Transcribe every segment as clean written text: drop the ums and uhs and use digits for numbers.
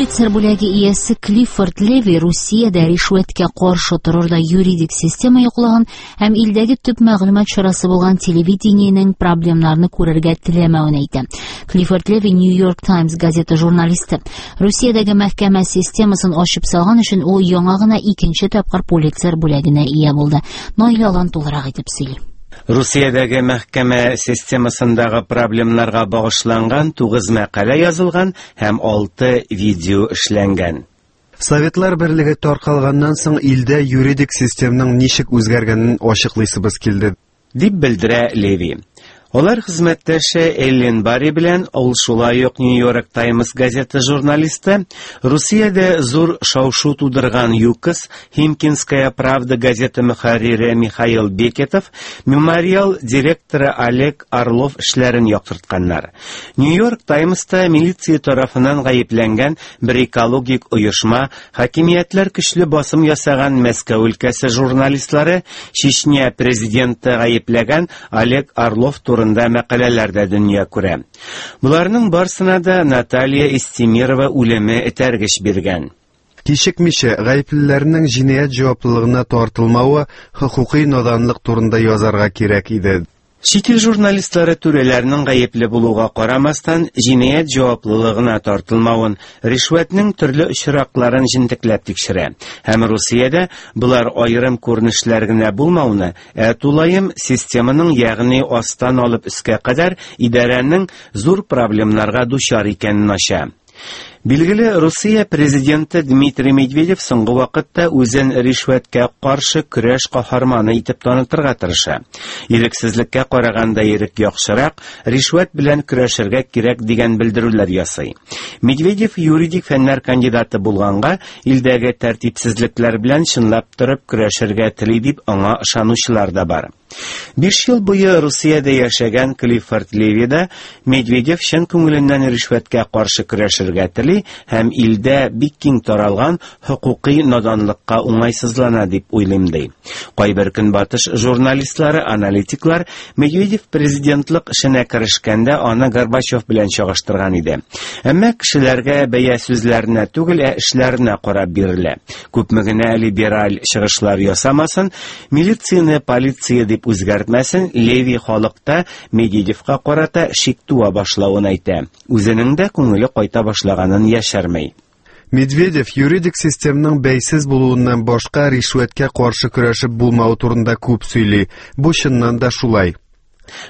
Пулитцер бүләге иясе Клиффорд Леви Русиядә ришвәткә каршы торырдай юридик система юклыгын һәм илдәге төп мәгълүмат чарасы булган телевидениенең проблемнарны күрергә теләмәвен әйтә. Клиффорд Леви New York Times газеты журналисты. Русиядәге мәхкәмә системасын ачып салган өчен ул яңа гына икенче тапкыр Пулитцер бүләгенә ия булды. Наилә Алан тулырак итеп сөйли. Русиядәге мәхкәмә системасындагы проблемнарга багышланган 9 мәкалә язылган һәм 6 видео эшләнгән. Советлар берлеге таркалганнан соң илдә юридик системның ничек үзгәргәнен ачыклыйсыбыз килде. Дип белдерә Леви. Алар хезмәттәше Эллен Барри белән, ул шулай ук New York Times газеты журналисты, Русиядә зур шау-шу тудырган ЮКОС, Химкинская правда газеты мөхәррире Михаил Бекетов, Мемориал директоры Олег Орлов эшләрен яктыртканнар. New York Timesта милиция тарафыннан гаепләнгән бер экологик оешма, хакимиятләр көчле басым ясаган Мәскәү өлкәсе журналистлары, Чечня президенты гаепләгән Олег Орлов турында мәкаләләр дә дөнья күрә. Боларның барсына да Наталья Истемирова үлеме этәргеч биргән. Кичекмичә гаеплеләрнең җинаять җаваплылыгына тартылмавы хокукый наданлык турында язарга кирәк иде. Чит ил журналистлары түрәләрнең гаепле булуга карамастан, җинаять җаваплылыгына тартылмавын, ришвәтнең төрле очракларын җентекләп тикшерә. Һәм Русиядә болар аерым күренешләр генә булмауны, ә тулаем системаның, ягъни астан алып өскә кадәр идарәнең зур проблемнарга дучар икәнен ача. Билгеле, Русия президенты Дмитрий Медведев соңгы вакытта үзен ришвәткә каршы көрәш каһарманы итеп танытырга тырыша. Ирексезлеккә караганда ирек яхшырак, ришвәт белән көрәшергә кирәк дигән белдерүләр ясый. Медведев юридик фәннәр кандидаты булганга, илдәге тәртипсезлекләр белән чынлап торып көрәшергә тели дип аңа ышанучылар да бар. 5 ел буе Русиядә яшәгән Клиффорд Леви да Медведев чын күңеленнән ришвәткә каршы көрәшергә тели һәм илдә бик киң таралган хокукый наданлыкка уңайсызлана дип уйлыйм ди. Кайбер көнбатыш журналистлары, аналитиклар Медведев президентлык эшенә керешкәндә аны Горбачев белән чагыштырган иде. Әмма кешеләргә бәя сүзләренә түгел, ә эшләренә карап бирелә. Күпме генә либераль чыгышлар ясамасын, милицияне полиция дип үзгәртмәсен, Леви халыкта Медведевка карата шик туа башлавын әйтә. Үзенең дә күңеле кайта башлаганын яшерми. Медведев юридик системның бәйсез булуыннан башка ришвәткә каршы көрәшеп булмавы турында күп сөйли. Бу чыннан да шулай.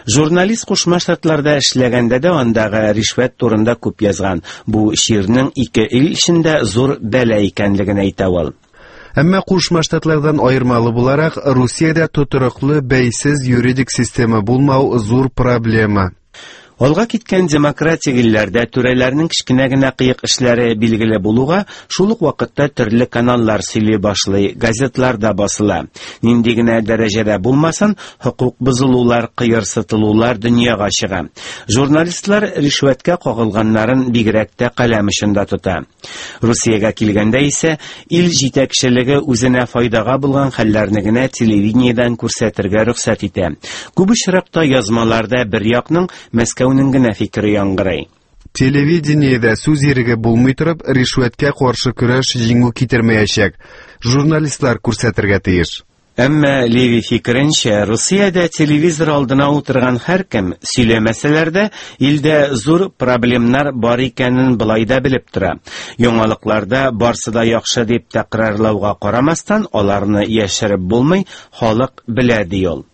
Журналист Кушма Штатларда эшләгәндә дә андагы ришвәт турында күп язган. Бу чирнең ике ил эчендә зур бәла икәнлеген әйтә ул. Әмма Кушма Штатлардан аермалы буларак, Русиядә тотрыклы, бәйсез юридик система булмау зур проблема. Алга киткән демократик илләрдә түрәләрнең кечкенә генә кыек эшләре билгеле булуга, шул ук вакытта төрле каналлар сөйли башлый, газетлар да басыла. Нинди генә дәрәҗәдә булмасын, хокук бозылулар, кыерсытылулар дөньяга чыга. Журналистлар ришвәткә кагылганнарын бигрәк тә каләм очында тота. Русиягә килгәндә исә, ил җитәкчелеге үзенә файдага булган хәлләрне генә телевидениедән күрсәтергә рөхсәт итә. Күп очракта язмаларда бер якның, Мәскәүнең генә фикере яңгырый. Телевидениедә сүз иреге булмый торып, ришвәткә каршы көрәш җиңү китермәячәк. Журналистлар күрсәтергә тиеш. Әмма Леви фикеренчә, Русиядә телевизор алдына утырган һәркем, сөйләмәсәләр дә, илдә зур проблемнар бар икәнен болай да белеп тора. Яңалыкларда барсы да яхшы дип тәкрарлауга карамастан, аларны яшереп булмый, халык белә, ди ул.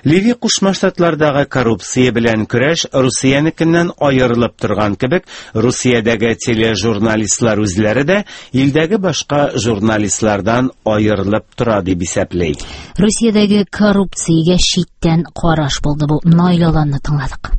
Леви Кушма Штатлардагы коррупция белән көрәш Русиянекеннән аерылып торган кебек, Русиядәге тележурналистлар үзләре дә илдәге башка журналистлардан аерылып тора дип исәпли. Русиядәге коррупциягә читтән караш булды бу. Наил Аланны тыңладык.